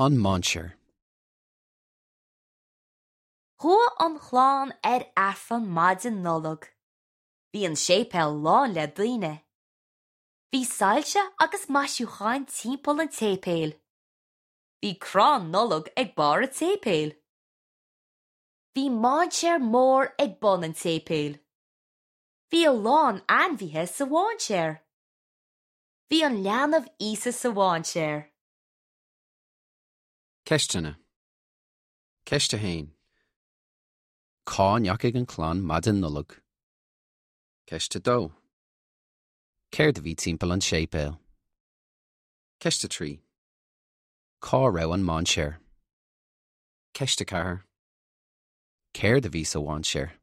An Mainséar. Chuaigh an chlann ar Aifreann maidin Nollag. Bhí an séipéal lán le daoine. Bhí soilse agus maisiúcháin timpeall an tséipéil. Bhí crann Nollag ag barr an tséipéil. Bhí mainséar mór ag bun an tséipéil. Bhí a lán ainmhithe sa mháinséar. Bhí an leanbh Íosa sa mháinséar. Ceisteanna. Ceist 1. Cá ndeachaigh an chlann maidin Nollag? Ceist 2. Céard a bhí timpeall an tséipéil? Ceist 3. Cá raibh an mainséar? Ceist 4. Céard a bhí sa mhainséar?